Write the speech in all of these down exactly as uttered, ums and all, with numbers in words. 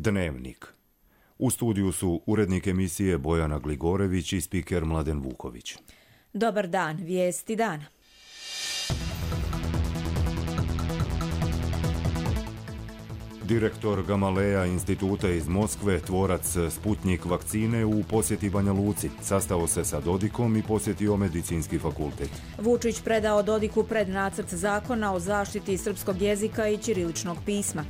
Dnevnik. U studiju su urednik emisije Bojana Gligorević i spiker Mladen Vuković. Dobar dan, vijesti dana. Direktor Gamaleja instituta iz Moskve, tvorac Sputnik vakcine, u posjeti Banja Luci. Sastao se sa Dodikom i posjetio medicinski fakultet. Vučić predao Dodiku prednacrt zakona o zaštiti srpskog jezika i ćiriličnog pisma.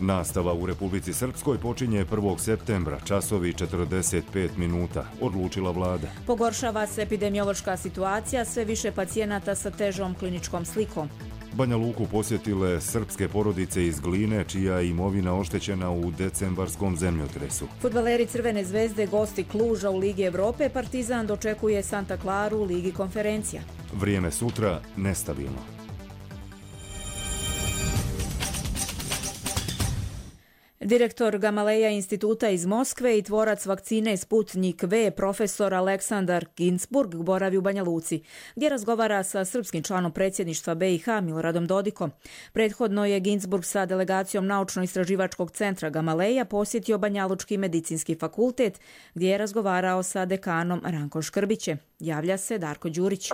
Nastava u Republici Srpskoj počinje prvog septembra, časovi četrdeset pet minuta, odlučila vlada. Pogoršava se epidemiološka situacija, sve više pacijenata sa težom kliničkom slikom. Banja Luku posjetile srpske porodice iz Gline, čija je imovina oštećena u decembarskom zemljotresu. Fudbaleri Crvene zvezde gosti Kluža u Ligi Evrope, Partizan dočekuje Santa Claru u Ligi konferencija. Vrijeme sutra nestabilno. Direktor Gamaleja instituta iz Moskve i tvorac vakcine Sputnik V, profesor Aleksandar Ginzburg, boravi u Banja Luci, gdje razgovara sa srpskim članom predsjedništva B i H Miloradom Dodikom. Prethodno je Ginzburg sa delegacijom Naučno-istraživačkog centra Gamaleja posjetio Banjalučki medicinski fakultet, gdje je razgovarao sa dekanom Rankom Škrbićem. Javlja se Darko Đurić.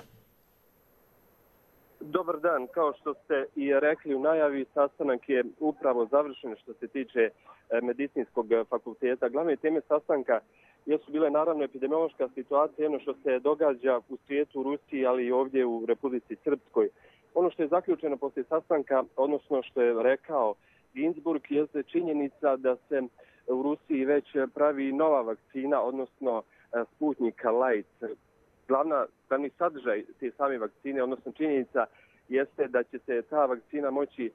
Dobar dan, kao što ste i rekli u najavi, sastanak je upravo završen što se tiče medicinskog fakulteta. Glavne teme sastanka jesu bile naravno epidemiološka situacija, ono što se događa u svijetu, u Rusiji, ali i ovdje u Republici Srpskoj. Ono što je zaključeno poslije sastanka, odnosno što je rekao Ginzburg, jeste činjenica da se u Rusiji već pravi nova vakcina, odnosno Sputnik Light. Glavna, glavni sadržaj te same vakcine, odnosno činjenica, jeste da će se ta vakcina moći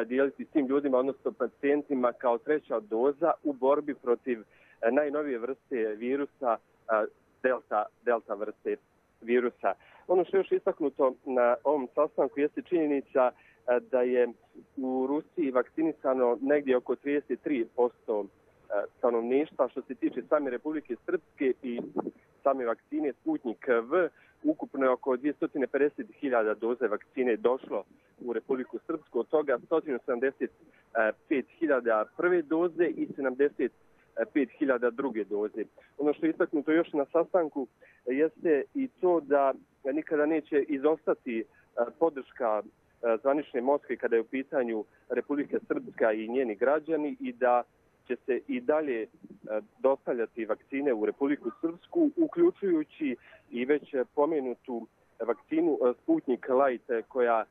dijeliti s tim ljudima, odnosno pacijentima, kao treća doza u borbi protiv najnovije vrste virusa, delta, delta vrste virusa. Ono što je još istaknuto na ovom sastanku jeste činjenica da je u Rusiji vakcinisano negdje oko trideset tri posto stanovništva. Što se tiče same Republike Srpske i same vakcine Sputnik V, ukupno je oko dvjesto pedeset hiljada doze vakcine došlo u Republiku Srpsku, od toga sto sedamdeset pet hiljada prve doze i sedamdeset pet hiljada druge doze. Ono što je istaknuto još na sastanku jeste i to da nikada neće izostati podrška zvanične Moskve kada je u pitanju Republika Srpska i njeni građani i da će se i dalje dostavljati vakcine u Republiku Srpsku, uključujući i već pomenutu vakcinu Sputnik Light, koja,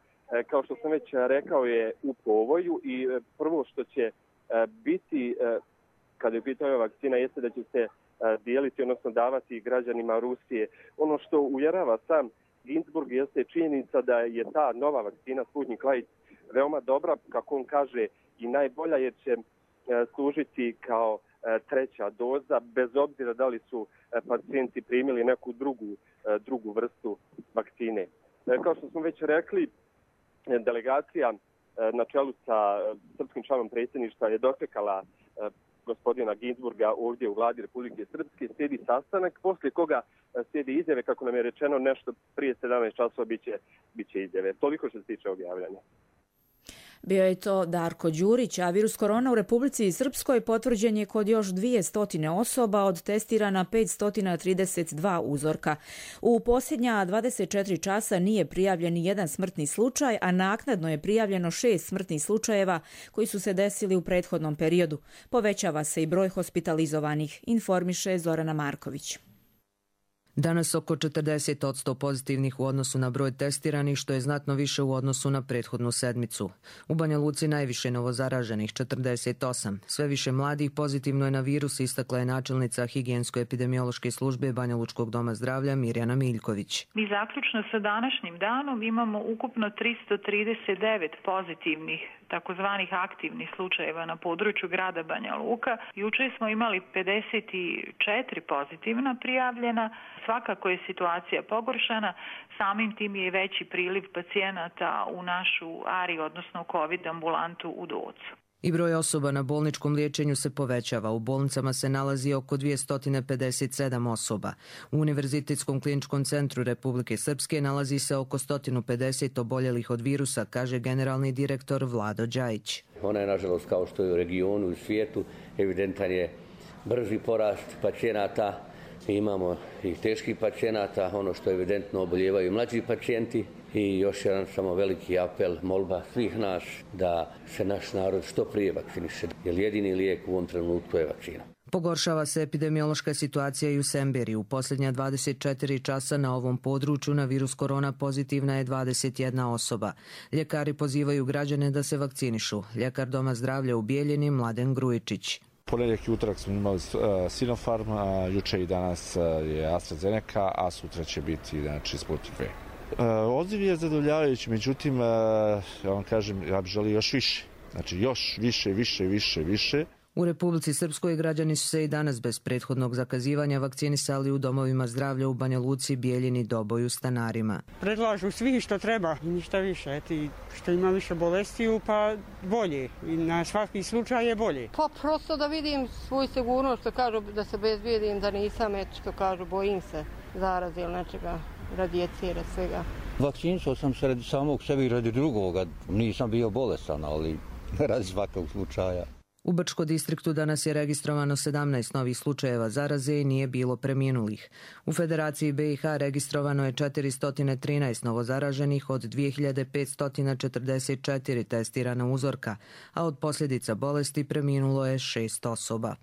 kao što sam već rekao, je u povoju i prvo što će biti, kada je pitanje vakcina, jeste da će se dijeliti, odnosno davati građanima Rusije. Ono što uvjerava sam Ginzburg jeste činjenica da je ta nova vakcina Sputnik Light veoma dobra, kako on kaže, i najbolja, jer će služiti kao treća doza, bez obzira da li su pacijenti primili neku drugu, drugu vrstu vakcine. Kao što smo već rekli, delegacija na čelu sa srpskim članom predsjedništva je dočekala gospodina Ginzburga ovdje u vladi Republike Srpske, slijedi sastanak, poslije koga slijedi izjave, kako nam je rečeno, nešto prije sedamnaest časova biće, biće izjave. Toliko što se tiče objavljanja. Bio je to Darko Đurić, a virus korona u Republici Srpskoj potvrđen je kod još dvjesto osoba od testirana petsto trideset dva uzorka. U posljednja dvadeset četiri časa nije prijavljen ni jedan smrtni slučaj, a naknadno je prijavljeno šest smrtnih slučajeva koji su se desili u prethodnom periodu. Povećava se i broj hospitalizovanih, informiše Zorana Marković. Danas oko četrdeset posto pozitivnih u odnosu na broj testiranih, što je znatno više u odnosu na prethodnu sedmicu. U Banja Luci najviše novozaraženih, četrdeset osam. Sve više mladih pozitivno je na virus, istakla je načelnica higijensko-epidemiološke službe Banja Lučkog doma zdravlja Mirjana Miljković. Mi zaključno sa današnjim danom imamo ukupno tristo trideset devet pozitivnih takozvanih aktivnih slučajeva na području grada Banja Luka. Juče smo imali pedeset četiri pozitivna prijavljena. Svakako je situacija pogoršana, samim tim je veći priliv pacijenata u našu A R I, odnosno COVID ambulantu u Docu. I broj osoba na bolničkom liječenju se povećava. U bolnicama se nalazi oko dvjesto pedeset sedam osoba. U Univerzitetskom kliničkom centru Republike Srpske nalazi se oko sto pedeset oboljelih od virusa, kaže generalni direktor Vlado Đajić. Ona je, nažalost, kao što je u regionu i u svijetu, evidentan je brži porast pacijenata. Imamo i teških pacijenata, ono što je evidentno oboljevaju i mlađi pacijenti. I još jedan samo veliki apel, molba svih nas da se naš narod što prije vakciniše, jer jedini lijek u ovom trenutku je vakcina. Pogoršava se epidemiološka situacija i u Semberi. U posljednja dvadeset četiri časa na ovom području na virus korona pozitivna je dvadeset jedna osoba. Ljekari pozivaju građane da se vakcinišu. Ljekar Doma zdravlja u Bijeljini Mladen Grujičić. Ponedjeljak i utorak smo imali Sinopharm, a juče i danas je AstraZeneca, a sutra će biti znači Sputnik V. Odziv je zadovoljavajući, međutim, ja vam kažem, ja bih želio još više. Znači još više, više, više, više. U Republici Srpskoj građani su se i danas bez prethodnog zakazivanja vakcinisali u domovima zdravlja u Banja Luci, Bijeljini, Doboju, Stanarima. Predlažu svi što treba i ništa više. Eti, što ima više bolestiju, pa bolje. I na svaki slučaj je bolje. Pa prosto da vidim svoju sigurnost, što kažu da se bezbijedim, da nisam, eto što kažu, bojim se zaraze ili nečega, radi djece, radi svega. Vakcinisao sam se radi samog sebi i radi drugoga. Nisam bio bolestan, ali radi svakog slučaja. U Brčko distriktu danas je registrovano sedamnaest novih slučajeva zaraze i nije bilo preminulih. U Federaciji B i H registrovano je četiristo trinaest novozaraženih od dvije hiljade petsto četrdeset četiri testirana uzorka, a od posljedica bolesti preminulo je šest osoba.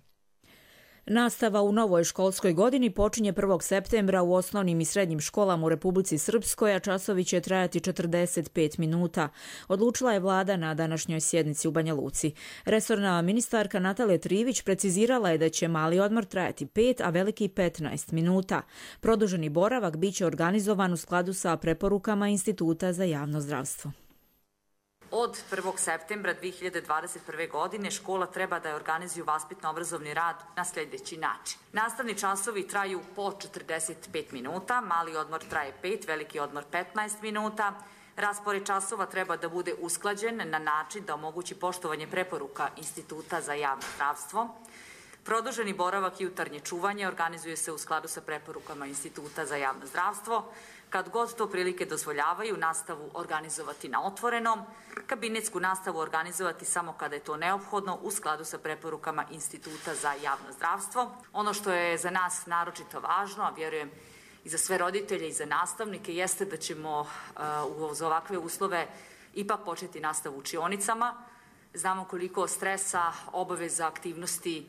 Nastava u novoj školskoj godini počinje prvog septembra u osnovnim i srednjim školama u Republici Srpskoj, a časovi će trajati četrdeset pet minuta. Odlučila je vlada na današnjoj sjednici u Banja Luci. Resorna ministarka Natalija Trivić precizirala je da će mali odmor trajati pet, a veliki petnaest minuta. Produženi boravak biće organizovan u skladu sa preporukama Instituta za javno zdravstvo. Od prvog septembra dvije hiljade dvadeset prve. godine škola treba da je organizuju vaspitno-obrazovni rad na sljedeći način. Nastavni časovi traju po četrdeset pet minuta, mali odmor traje pet, veliki odmor petnaest minuta. Raspored časova treba da bude usklađen na način da omogući poštovanje preporuka Instituta za javno zdravstvo. Produženi boravak i jutarnje čuvanje organizuje se u skladu sa preporukama Instituta za javno zdravstvo. Kad god to prilike dozvoljavaju, nastavu organizovati na otvorenom, kabinetsku nastavu organizovati samo kada je to neophodno u skladu sa preporukama Instituta za javno zdravstvo. Ono što je za nas naročito važno, a vjerujem i za sve roditelje i za nastavnike, jeste da ćemo uh, uz ovakve uslove ipak početi nastavu u učionicama. Znamo koliko stresa, obaveza, aktivnosti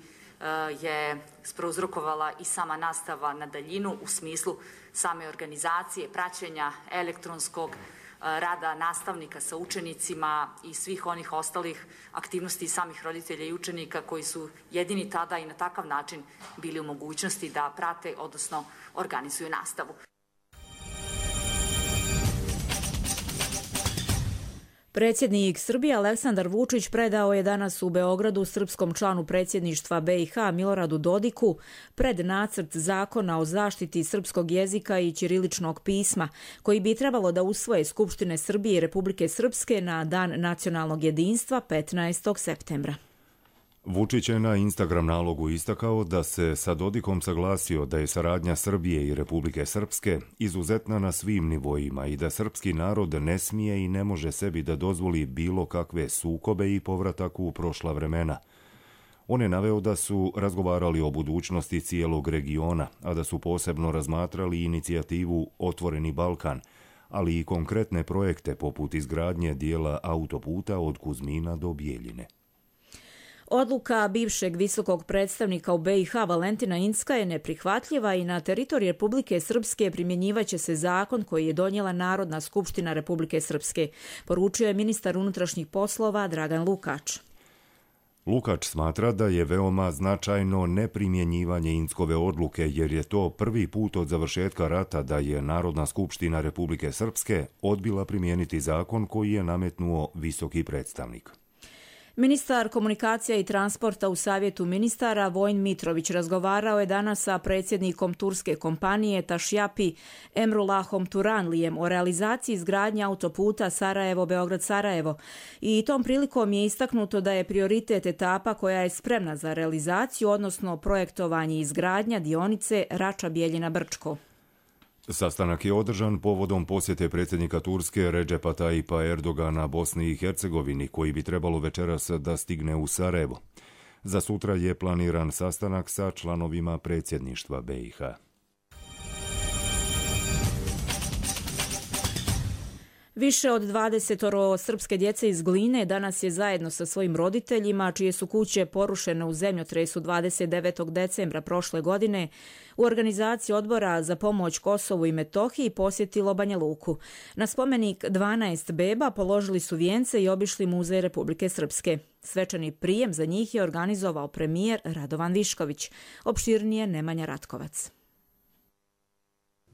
je prouzrokovala i sama nastava na daljinu u smislu same organizacije, praćenja elektronskog rada nastavnika sa učenicima i svih onih ostalih aktivnosti samih roditelja i učenika koji su jedini tada i na takav način bili u mogućnosti da prate, odnosno organizuju nastavu. Predsjednik Srbije Aleksandar Vučić predao je danas u Beogradu srpskom članu predsjedništva B i H Miloradu Dodiku pred nacrt zakona o zaštiti srpskog jezika i ćiriličnog pisma, koji bi trebalo da usvoje Skupštine Srbije i Republike Srpske na Dan nacionalnog jedinstva petnaestog septembra. Vučić je na Instagram nalogu istakao da se sa Dodikom saglasio da je saradnja Srbije i Republike Srpske izuzetna na svim nivoima i da srpski narod ne smije i ne može sebi da dozvoli bilo kakve sukobe i povratak u prošla vremena. On je naveo da su razgovarali o budućnosti cijelog regiona, a da su posebno razmatrali inicijativu Otvoreni Balkan, ali i konkretne projekte poput izgradnje dijela autoputa od Kuzmina do Bijeljine. Odluka bivšeg visokog predstavnika u B i H Valentina Incka je neprihvatljiva i na teritoriji Republike Srpske primjenjivaće se zakon koji je donijela Narodna skupština Republike Srpske, poručio je ministar unutrašnjih poslova Dragan Lukač. Lukač smatra da je veoma značajno neprimjenjivanje Inckove odluke, jer je to prvi put od završetka rata da je Narodna skupština Republike Srpske odbila primijeniti zakon koji je nametnuo visoki predstavnik. Ministar komunikacija i transporta u Savjetu ministara Vojin Mitrović razgovarao je danas sa predsjednikom turske kompanije Tašjapi Emrullahom Turanlijem o realizaciji izgradnje autoputa Sarajevo-Beograd-Sarajevo i tom prilikom je istaknuto da je prioritet etapa koja je spremna za realizaciju, odnosno projektovanje i izgradnja dionice Rača-Bijeljina-Brčko. Sastanak je održan povodom posjete predsjednika Turske Redžepa Tajipa Erdogana Bosni i Hercegovini, koji bi trebalo večeras da stigne u Sarajevo. Za sutra je planiran sastanak sa članovima predsjedništva B i H. Više od dvadesetoro srpske djece iz Gline danas je zajedno sa svojim roditeljima, čije su kuće porušene u zemljotresu dvadeset devetog decembra prošle godine, u organizaciji Odbora za pomoć Kosovu i Metohiji posjetilo Banja Luku. Na spomenik dvanaest beba položili su vijence i obišli Muzej Republike Srpske. Svečani prijem za njih je organizovao premijer Radovan Višković. Opširnije Nemanja Ratkovac.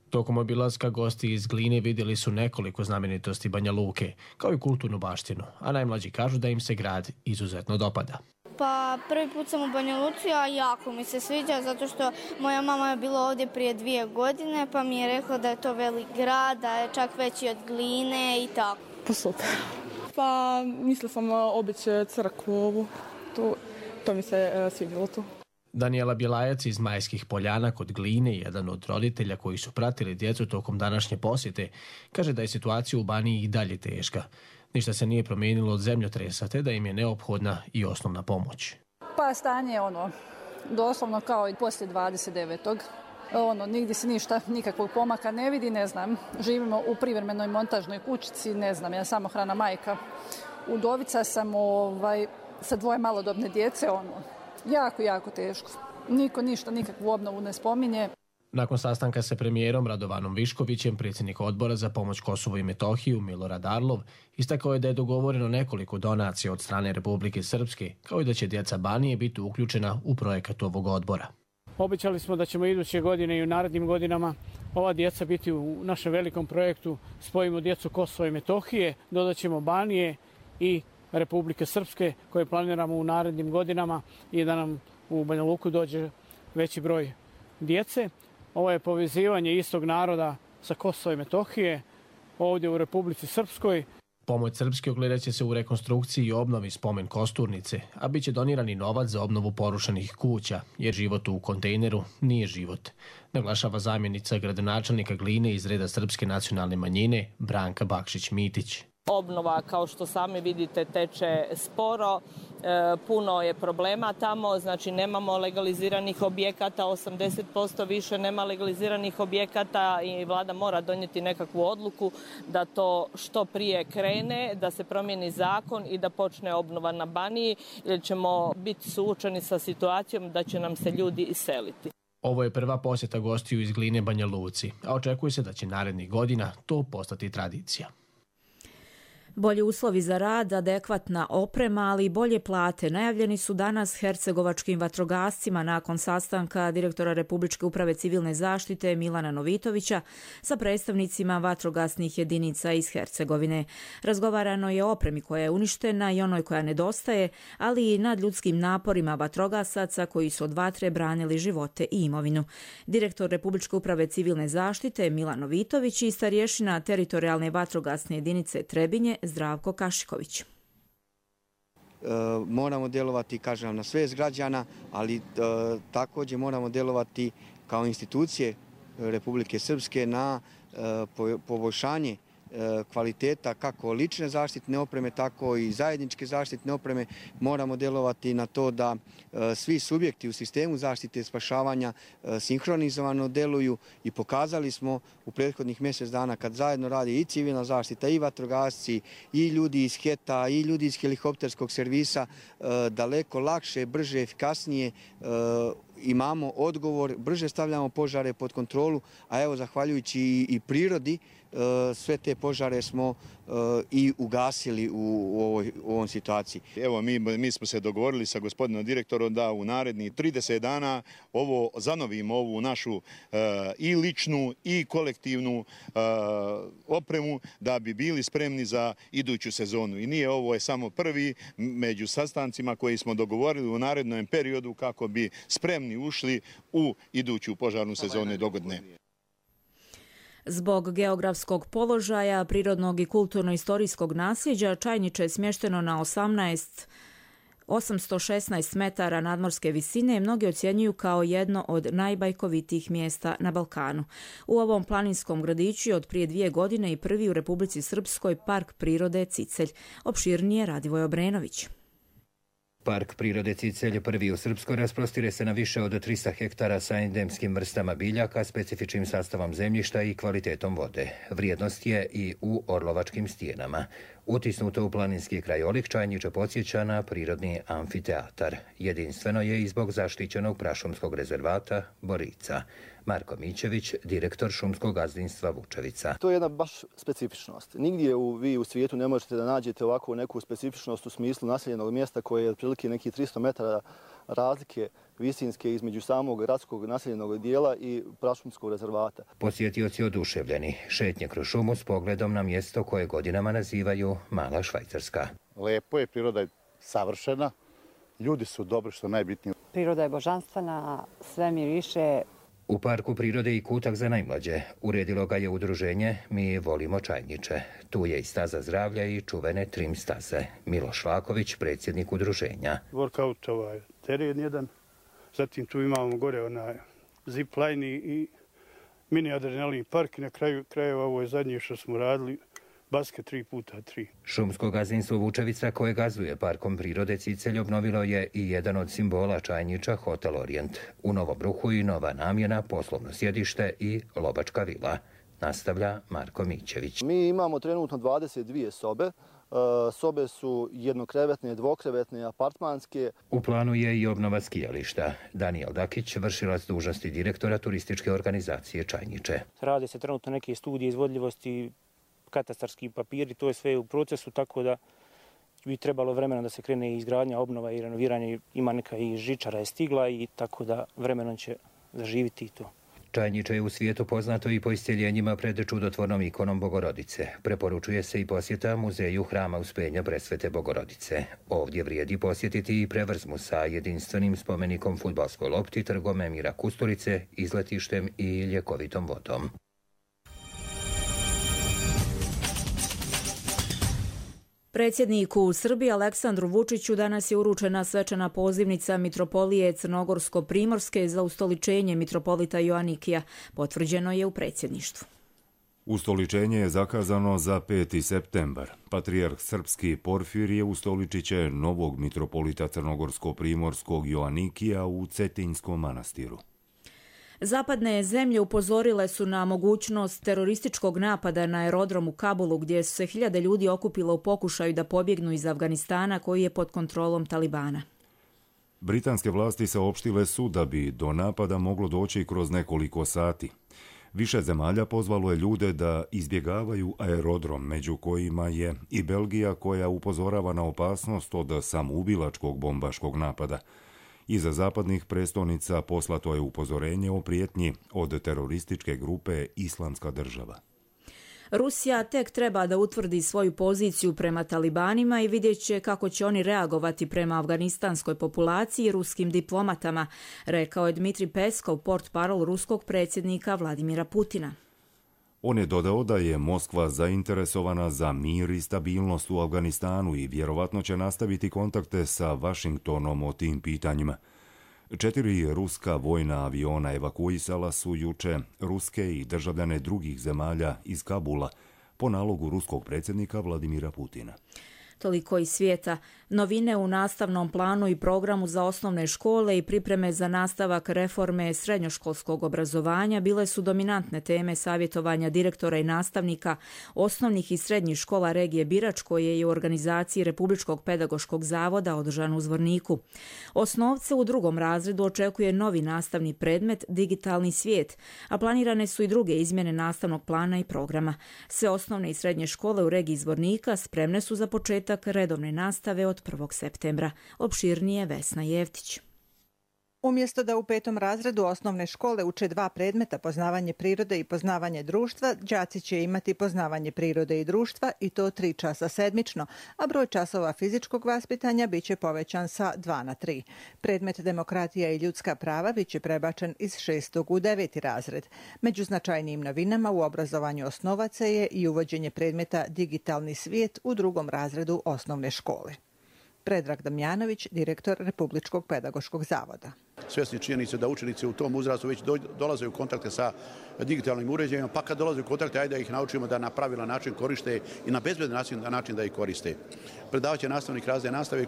Tokom obilaska gosti iz Gline vidjeli su nekoliko znamenitosti Banja Luke, kao i kulturnu baštinu, a najmlađi kažu da im se grad izuzetno dopada. Pa prvi put sam u Banja Luci, a jako mi se sviđa zato što moja mama je bila ovdje prije dvije godine, pa mi je rekla da je to velik grad, da je čak veći od Gline i tako. Pa super. Pa mislila sam obići crkvu ovu, to, to mi se svidjelo tu. Danijela Bjelajac iz Majskih Poljana kod Gline, jedan od roditelja koji su pratili djecu tokom današnje posjete, kaže da je situacija u Baniji i dalje teška. Ništa se nije promijenilo od zemljotresa, te da im je neophodna i osnovna pomoć. Pa stanje je ono, doslovno kao i poslije dvadeset devetog Ono, nigdje se ništa, nikakvog pomaka ne vidi, ne znam. Živimo u privremenoj montažnoj kućici, ne znam, ja samohrana majka. Udovica sam ovaj, sa dvoje malodobne djece, ono, jako, jako teško. Niko ništa, nikakvu obnovu ne spominje. Nakon sastanka sa premijerom Radovanom Viškovićem, predsjednik Odbora za pomoć Kosovu i Metohiju Milorad Arlov istakao je da je dogovoreno nekoliko donacija od strane Republike Srpske, kao i da će djeca Banije biti uključena u projekat ovog odbora. Obećali smo da ćemo iduće godine i u narednim godinama ova djeca biti u našem velikom projektu Spojimo djecu Kosova i Metohije, dodat ćemo Banije i Republike Srpske koje planiramo u narednim godinama i da nam u Banja Luku dođe veći broj djece. Ovo je povezivanje istog naroda sa Kosova i Metohije ovdje u Republici Srpskoj. Pomoć Srpske ogledat će se u rekonstrukciji i obnovi spomen kosturnice, a bit će donirani novac za obnovu porušenih kuća, jer život u kontejneru nije život, naglašava zamjenica gradonačelnika Gline iz reda Srpske nacionalne manjine Branka Bakšić-Mitić. Obnova, kao što sami vidite, teče sporo, e, puno je problema tamo, znači nemamo legaliziranih objekata, osamdeset posto više nema legaliziranih objekata i vlada mora donijeti nekakvu odluku da to što prije krene, da se promijeni zakon i da počne obnova na Baniji, jer ćemo biti suočeni sa situacijom da će nam se ljudi iseliti. Ovo je prva posjeta gostiju iz Gline Banja Luci, a očekuje se da će narednih godina to postati tradicija. Bolji uslovi za rad, adekvatna oprema, ali i bolje plate najavljeni su danas hercegovačkim vatrogascima nakon sastanka direktora Republičke uprave civilne zaštite Milana Novitovića sa predstavnicima vatrogasnih jedinica iz Hercegovine. Razgovarano je o opremi koja je uništena i onoj koja nedostaje, ali i nad ljudskim naporima vatrogasaca koji su od vatre branili živote i imovinu. Direktor Republičke uprave civilne zaštite Milan Novitović i starješina teritorijalne vatrogasne jedinice Trebinje Zdravko Kašiković. E, moramo djelovati, kažem, na svest građana, ali e, također moramo djelovati kao institucije Republike Srpske na e, po, poboljšanje e, kvaliteta kako lične zaštitne opreme, tako i zajedničke zaštitne opreme. Moramo djelovati na to da e, svi subjekti u sistemu zaštite i spašavanja e, sinhronizovano deluju i pokazali smo u prethodnih mjesec dana kad zajedno radi i civilna zaštita i vatrogasci i ljudi iz HET-a i ljudi iz helikopterskog servisa e, daleko lakše, brže, efikasnije e, imamo odgovor, brže stavljamo požare pod kontrolu, a evo zahvaljujući i, i prirodi sve te požare smo i ugasili u ovoj u ovom situaciji. Evo mi, mi smo se dogovorili sa gospodinom direktorom da u narednih trideset dana ovo zanovimo ovu našu i ličnu i kolektivnu opremu da bi bili spremni za iduću sezonu. I nije ovo je samo prvi među sastancima koji smo dogovorili u narednom periodu kako bi spremni ušli u iduću požarnu sezonu dogodine. Zbog geografskog položaja, prirodnog i kulturno-istorijskog nasljeđa, Čajniče je smješteno na osamnaest osamsto šesnaest metara nadmorske visine i mnogi ocjenjuju kao jedno od najbajkovitijih mjesta na Balkanu. U ovom planinskom gradiću je od prije dvije godine i prvi u Republici Srpskoj park prirode Cicelj. Opširnije Radivoj Obrenović. Park prirode Cicelj prvi u Srpskoj rasprostire se na više od trista hektara sa endemskim vrstama biljaka, specifičnim sastavom zemljišta i kvalitetom vode. Vrijednost je i u orlovačkim stijenama. Utisnuto u planinski krajolik, Čajniče podsjeća na prirodni amfiteatar. Jedinstveno je i zbog zaštićenog prašumskog rezervata Borica. Marko Mićević, direktor šumskog gazdinstva Vučevica. To je jedna baš specifičnost. Nigdje u, vi u svijetu ne možete da nađete ovakvu neku specifičnost u smislu naseljenog mjesta koje je otprilike nekih tristo metara razlike visinske između samog gradskog naseljenog dijela i prašumskog rezervata. Posjetioci oduševljeni šetnje kroz šumu s pogledom na mjesto koje godinama nazivaju Mala Švajcarska. Lepo je, priroda je savršena, ljudi su dobri, što najbitnije. Priroda je božanstvena, sve miriše. U parku prirode i kutak za najmlađe uredilo ga je udruženje Mi volimo Čajniče. Tu je i staza zdravlja i čuvene trim staze. Miloš Laković, predsjednik udruženja. Workout ovaj teren jedan, zatim tu imamo gore onaj zipline i mini adrenalin park i na kraju krajeva ovo je zadnje što smo radili. Basket tri puta tri. Šumsko gazdinstvo Vučevica koje gazduje parkom prirode Cicelj obnovilo je i jedan od simbola Čajniča, Hotel Orient. U Novom Bruhu i nova namjena, poslovno sjedište i lovačka vila. Nastavlja Marko Mićević. Mi imamo trenutno dvadeset dvije sobe. Sobe su jednokrevetne, dvokrevetne, apartmanske. U planu je i obnova skijališta. Daniel Dakić, vršilac dužnosti direktora turističke organizacije Čajniče. Rade se trenutno neke studije izvodljivosti, katastarski papiri, to je sve u procesu, tako da bi trebalo vremena da se krene i izgradnja, obnova i renoviranje. Ima neka i žičara je stigla i tako da vremenom će zaživiti to. Čajniče je u svijetu poznato i po isceljenjima pred čudotvornom ikonom Bogorodice. Preporučuje se i posjeta muzeju Hrama Uspenja Presvete Bogorodice. Ovdje vrijedi posjetiti i prevrzmu sa jedinstvenim spomenikom fudbalskoj lopti, trgom Emira Kusturice, izletištem i ljekovitom vodom. Predsjedniku Srbije Aleksandru Vučiću danas je uručena svečana pozivnica Mitropolije Crnogorsko-Primorske za ustoličenje mitropolita Joanikija. Potvrđeno je u predsjedništvu. Ustoličenje je zakazano za peti septembar. Patrijarh srpski Porfirije ustoličit će novog mitropolita Crnogorsko-Primorskog Joanikija u Cetinjskom manastiru. Zapadne zemlje upozorile su na mogućnost terorističkog napada na aerodrom u Kabulu, gdje su se hiljade ljudi okupilo u pokušaju da pobjegnu iz Afganistana, koji je pod kontrolom Talibana. Britanske vlasti saopštile su da bi do napada moglo doći kroz nekoliko sati. Više zemalja pozvalo je ljude da izbjegavaju aerodrom, među kojima je i Belgija, koja upozorava na opasnost od samoubilačkog bombaškog napada. Iza zapadnih prestonica poslato je upozorenje o prijetnji od terorističke grupe Islamska država. Rusija tek treba da utvrdi svoju poziciju prema talibanima i vidjet će kako će oni reagovati prema afganistanskoj populaciji i ruskim diplomatama, rekao je Dmitrij Peskov, portparol ruskog predsjednika Vladimira Putina. On je dodao da je Moskva zainteresovana za mir i stabilnost u Afganistanu i vjerovatno će nastaviti kontakte sa Vašingtonom o tim pitanjima. Četiri ruska vojna aviona evakuisala su juče ruske i državljane drugih zemalja iz Kabula po nalogu ruskog predsjednika Vladimira Putina. Toliko iz svijeta. Novine u nastavnom planu i programu za osnovne škole i pripreme za nastavak reforme srednjoškolskog obrazovanja bile su dominantne teme savjetovanja direktora i nastavnika osnovnih i srednjih škola regije Birač, koje je u organizaciji Republičkog pedagoškog zavoda održan u Zvorniku. Osnovce u drugom razredu očekuje novi nastavni predmet Digitalni svijet, a planirane su i druge izmjene nastavnog plana i programa. Sve osnovne i srednje škole u regiji Zvornika spremne su za početak redovne nastave od prvog septembra. Opširnije Vesna Jevtić. Umjesto da u petom razredu osnovne škole uče dva predmeta, poznavanje prirode i poznavanje društva, đaci će imati poznavanje prirode i društva i to tri časa sedmično, a broj časova fizičkog vaspitanja biće povećan sa dva na tri. Predmet demokratija i ljudska prava biće prebačen iz šestog u deveti razred. Među značajnijim novinama u obrazovanju osnovaca je i uvođenje predmeta Digitalni svijet u drugom razredu osnovne škole. Predrag Damjanović, direktor Republičkog pedagoškog zavoda. Svjesni činjenice da učenici u tom uzrastu već dolaze u kontakte sa digitalnim uređajima, pa kad dolaze u kontakte, ajde da ih naučimo da na pravilan način koriste i na bezbedan način, način da ih koriste. Predavat će nastavnik razne nastave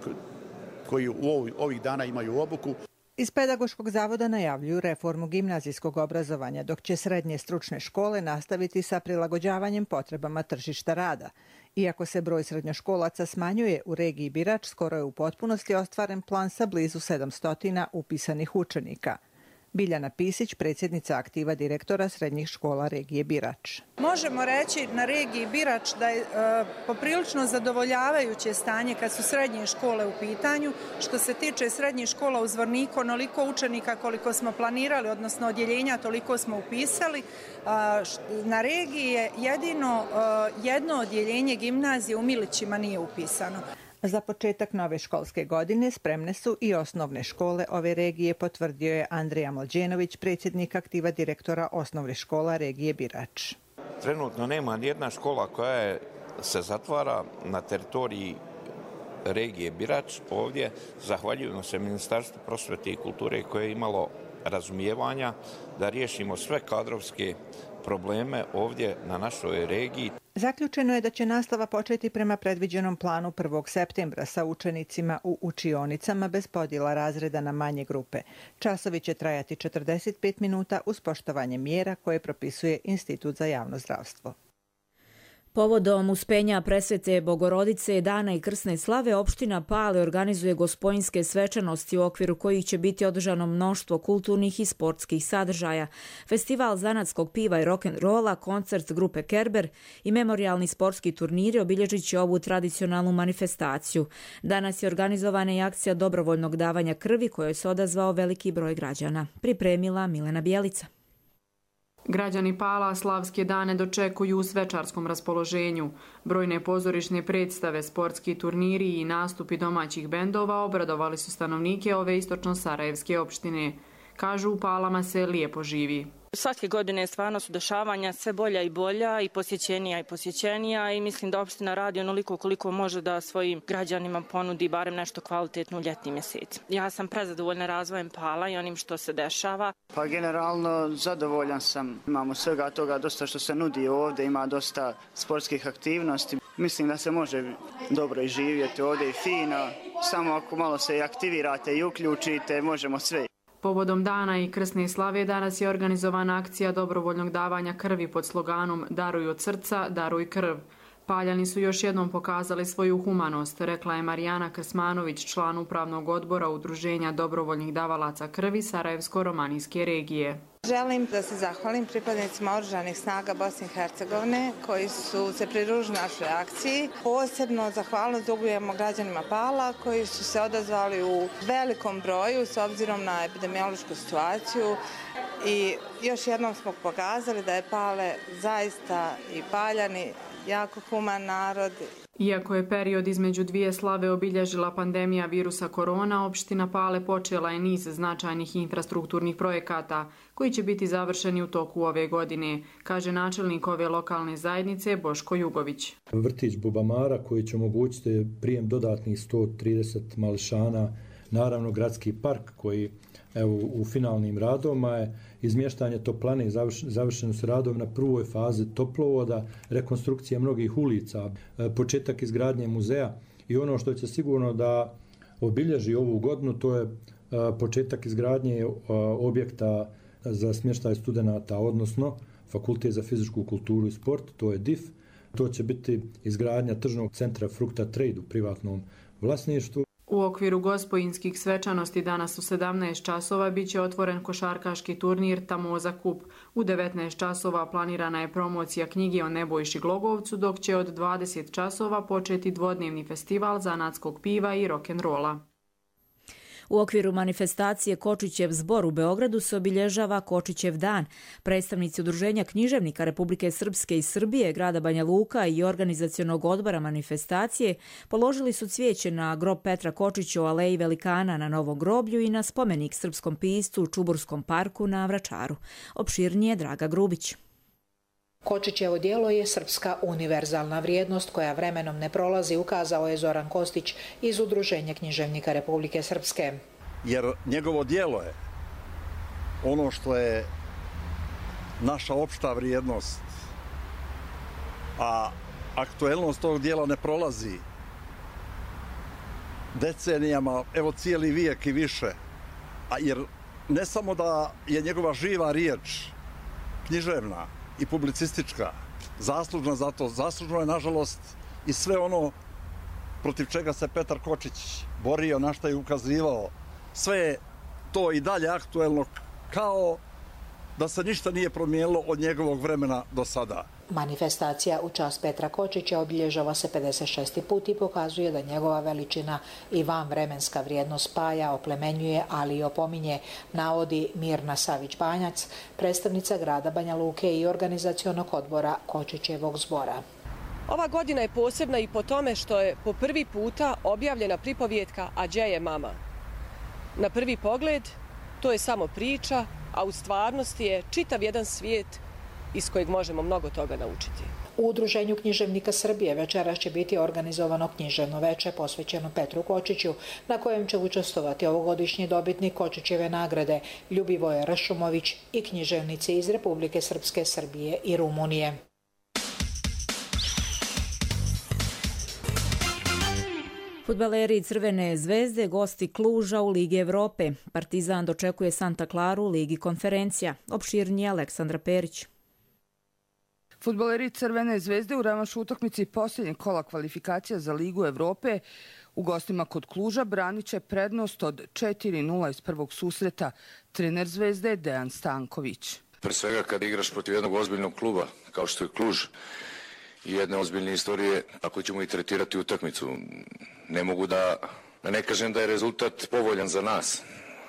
koji u ovih dana imaju obuku. Iz Pedagoškog zavoda najavljuju reformu gimnazijskog obrazovanja, dok će srednje stručne škole nastaviti sa prilagođavanjem potrebama tržišta rada. Iako se broj srednjoškolaca smanjuje, u regiji Birač skoro je u potpunosti ostvaren plan sa blizu sedamsto upisanih učenika. Biljana Pisić, predsjednica aktiva direktora srednjih škola regije Birač. Možemo reći na regiji Birač da je e, poprilično zadovoljavajuće stanje kad su srednje škole u pitanju. Što se tiče srednjih škola u Zvorniku, onoliko učenika koliko smo planirali, odnosno odjeljenja, toliko smo upisali. A, na regiji je jedino a, jedno odjeljenje gimnazije u Milićima nije upisano. Za početak nove školske godine spremne su i osnovne škole ove regije, potvrdio je Andrija Mlađenović, predsjednik aktiva direktora osnovne škola regije Birač. Trenutno nema nijedna škola koja je, se zatvara na teritoriji regije Birač. Ovdje zahvaljujemo se Ministarstvu prosvete i kulture koje je imalo razumijevanja da riješimo sve kadrovske probleme ovdje na našoj regiji. Zaključeno je da će nastava početi prema predviđenom planu prvog septembra sa učenicima u učionicama bez podjela razreda na manje grupe. Časovi će trajati četrdeset pet minuta uz poštovanje mjera koje propisuje Institut za javno zdravstvo. Povodom uspenja presvete Bogorodice, dana i krsne slave, opština Pale organizuje gospojinske svečanosti u okviru kojih će biti održano mnoštvo kulturnih i sportskih sadržaja, festival zanatskog piva i rock'n'rolla, koncert grupe Kerber i memorijalni sportski turniri obilježit će ovu tradicionalnu manifestaciju. Danas je organizovana i akcija dobrovoljnog davanja krvi kojoj se odazvao veliki broj građana. Pripremila Milena Bjelica. Građani Pala slavske dane dočekuju u svečarskom raspoloženju. Brojne pozorišne predstave, sportski turniri i nastupi domaćih bendova obradovali su stanovnike ove istočno-sarajevske opštine. Kažu, u Palama se lijepo živi. Svake godine stvarno su dešavanja sve bolja i bolja i posjećenija i posjećenija i mislim da opština radi onoliko koliko može da svojim građanima ponudi barem nešto kvalitetno u ljetni mjesec. Ja sam prezadovoljna razvojem Pala i onim što se dešava. Pa generalno zadovoljan sam. Imamo svega toga dosta što se nudi ovdje, ima dosta sportskih aktivnosti. Mislim da se može dobro i živjeti ovdje i fino. Samo ako malo se i aktivirate i uključite, možemo sve. Povodom dana i krsne slave danas je organizovana akcija dobrovoljnog davanja krvi pod sloganom Daruj od srca, daruj krv. Paljani su još jednom pokazali svoju humanost, rekla je Marijana Krsmanović, član upravnog odbora Udruženja dobrovoljnih davalaca krvi Sarajevsko-romanijske regije. Želim da se zahvalim pripadnicima oružanih snaga Bosne i Hercegovine koji su se pridružili našoj akciji. Posebno zahvalnost dugujemo građanima Pala koji su se odazvali u velikom broju s obzirom na epidemiološku situaciju i još jednom smo pokazali da je Pale zaista i Paljani jako human narod. Iako je period između dvije slave obilježila pandemija virusa korona, opština Pale počela je niz značajnih infrastrukturnih projekata koji će biti završeni u toku ove godine, kaže načelnik ove lokalne zajednice Boško Jugović. Vrtić Bubamara koji će omogućiti prijem dodatnih sto trideset mališana, naravno gradski park koji evo, u finalnim radovima je izmještanje toplane, završeno su radovi na prvoj fazi toplovoda, rekonstrukcija mnogih ulica, početak izgradnje muzeja i ono što će sigurno da obilježi ovu godinu, to je početak izgradnje objekta za smještaj studenata, odnosno Fakultet za fizičku kulturu i sport, to je D I F. To će biti izgradnja tržnog centra Frukta Trade u privatnom vlasništvu. U okviru gospojinskih svečanosti danas u sedamnaest časova biće otvoren košarkaški turnir Tamoza Kup. U devetnaest časova planirana je promocija knjige o Nebojši Glogovcu, dok će od dvadeset časova početi dvodnevni festival zanatskog piva i rock'n'rolla. U okviru manifestacije Kočićev zbor u Beogradu se obilježava Kočićev dan. Predstavnici Udruženja književnika Republike Srpske i Srbije, grada Banja Luka i organizacionog odbora manifestacije položili su cvijeće na grob Petra Kočića u Aleji Velikana na Novom groblju i na spomenik srpskom piscu u Čuburskom parku na Vračaru. Opširnije Draga Grubić. Kočićevo djelo je srpska univerzalna vrijednost koja vremenom ne prolazi, ukazao je Zoran Kostić iz Udruženja književnika Republike Srpske. Jer njegovo djelo je ono što je naša opšta vrijednost, a aktuelnost tog djela ne prolazi decenijama, evo cijeli vijek i više. A jer ne samo da je njegova živa riječ književna i publicistička, zaslužna za to, zaslužno je nažalost i sve ono protiv čega se Petar Kočić borio, na šta je ukazivao. Sve je to i dalje aktuelno, kao da se ništa nije promijenilo od njegovog vremena do sada. Manifestacija u čast Petra Kočića obilježava se pedeset šesti put i pokazuje da njegova veličina i vanvremenska vrijednost spaja, oplemenjuje, ali i opominje, navodi Mirna Savić-Banjac, predstavnica grada Banja Luke i organizacionog odbora Kočićevog zbora. Ova godina je posebna i po tome što je po prvi puta objavljena pripovjetka A đe je mama. Na prvi pogled to je samo priča, a u stvarnosti je čitav jedan svijet iz kojeg možemo mnogo toga naučiti. U Udruženju književnika Srbije večeras će biti organizovano književno veče posvećeno Petru Kočiću, na kojem će učestvovati ovogodišnji dobitnik Kočićeve nagrade Ljubivoje Ršumović i književnici iz Republike Srpske, Srbije i Rumunije. Fudbaleri Crvene zvezde gosti Kluža u Ligi Evrope. Partizan dočekuje Santa Claru u Ligi konferencija. Opširnije Aleksandra Perić. Fudbaleri Crvene zvezde u revanš utakmici posljednjeg kola kvalifikacija za Ligu Evrope u gostima kod Kluža branit će prednost od četiri nula iz prvog susreta. Trener Zvezde Dejan Stanković. Pre svega kad igraš protiv jednog ozbiljnog kluba kao što je Kluž i jedne ozbiljne istorije, ako ćemo i tretirati utakmicu, ne mogu da, da ne kažem da je rezultat povoljan za nas,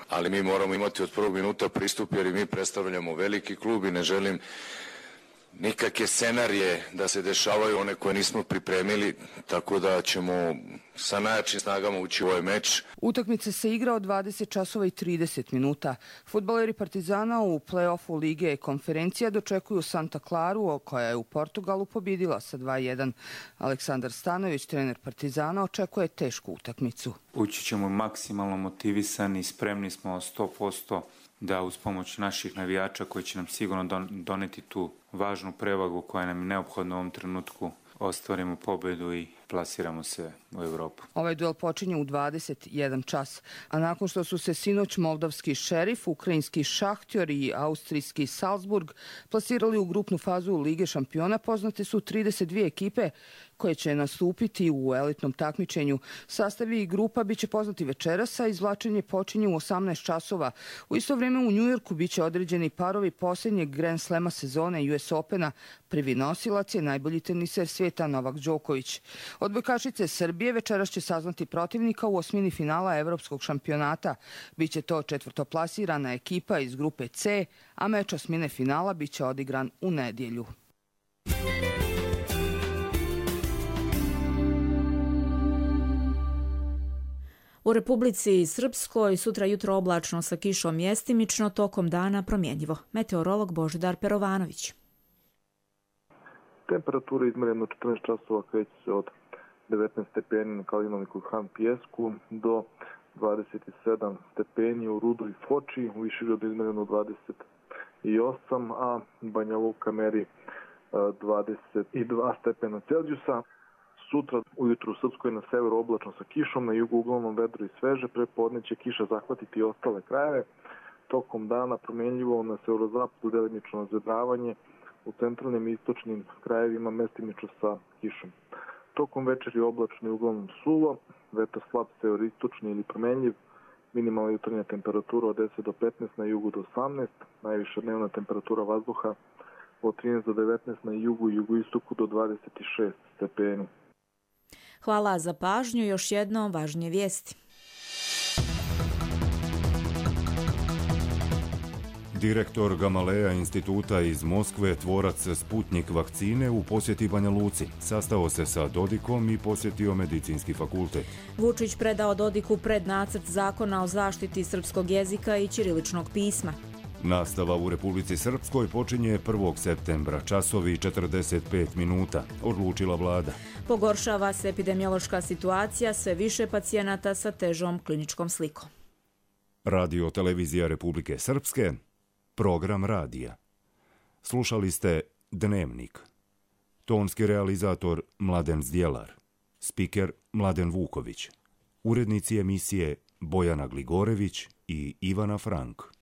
ali mi moramo imati od prvog minuta pristup jer i mi predstavljamo veliki klub i ne želim nikakve scenarije da se dešavaju, one koje nismo pripremili, tako da ćemo sa najjačim snagama ući u ovaj meč. Utakmica se igra od dvadeset časova i trideset minuta. Fudbaleri Partizana u play-offu Lige konferencija dočekuju Santa Claru, koja je u Portugalu pobjedila sa dva jedan. Aleksandar Stanović, trener Partizana, očekuje tešku utakmicu. Ući ćemo maksimalno motivisani, spremni smo sto posto da uz pomoć naših navijača koji će nam sigurno doneti tu važnu prevagu koja nam je neophodna u ovom trenutku, ostvarimo pobjedu i plasiramo se u Evropu. Ovaj duel počinje u dvadeset jedan čas, a nakon što su se sinoć moldavski Šerif, ukrajinski Šahtjor i austrijski Salzburg plasirali u grupnu fazu Lige šampiona, poznate su trideset dvije ekipe koje će nastupiti u elitnom takmičenju. Sastavi i grupa biće poznati večeras, a izvlačenje počinje u osamnaest časova. U isto vrijeme u Njujorku biće određeni parovi posljednjeg Grand Slema sezone U S Opena. Prvi nosilac je najbolji teniser svijeta Novak Đoković. Odbojkašice Srbije večeras će saznati protivnika u osmini finala Evropskog šampionata. Biće to četvrtoplasirana ekipa iz grupe C, a meč osmine finala biće odigran u nedjelju. U Republici Srpskoj sutra jutro oblačno sa kišom mjestimično, tokom dana promjenjivo. Meteorolog Božidar Perovanović. Temperatura izmjerena u četrnaest časova kreće se od devetnaest stepeni na Kalinovniku i Han Pijesku do dvadeset sedam stepeni u Rudu i Foči, u Višegradu izmjereno dvadeset osam, a Banja Luka meri dvadeset dva stepena Celzijusa. Sutra ujutru u Srpskoj na severu oblačno sa kišom, na jugu uglavnom vedro i sveže, prepodne će kiša zahvatiti i ostale krajeve. Tokom dana promjenljivo na severozapadu delimično razvedravanje, u centralnim i istočnim krajevima mestimično sa kišom. Tokom večeri oblačno i uglavnom suvo, vetar slab severistočni ili promenljiv, minimalna jutarnja temperatura od deset do petnaest, na jugu do osamnaest, najviša dnevna temperatura vazduha od trinaest do devetnaest, na jugu i jugoistoku do dvadeset šest stepeni. Hvala za pažnju, još jednom važnije vijesti. Direktor Gamaleja instituta iz Moskve, tvorac Sputnik vakcine, u posjeti Banja Luci. Sastao se sa Dodikom i posjetio medicinski fakultet. Vučić predao Dodiku prednacrt zakona o zaštiti srpskog jezika i ćiriličnog pisma. Nastava u Republici Srpskoj počinje prvog septembra, časovi četrdeset pet minuta, odlučila vlada. Pogoršava se epidemiološka situacija, sve više pacijenata sa težom kliničkom slikom. Radio Televizija Republike Srpske, program radija. Slušali ste Dnevnik. Tonski realizator Mladen Zdjelar. Spiker Mladen Vuković. Urednici emisije Bojana Gligorević i Ivana Frank.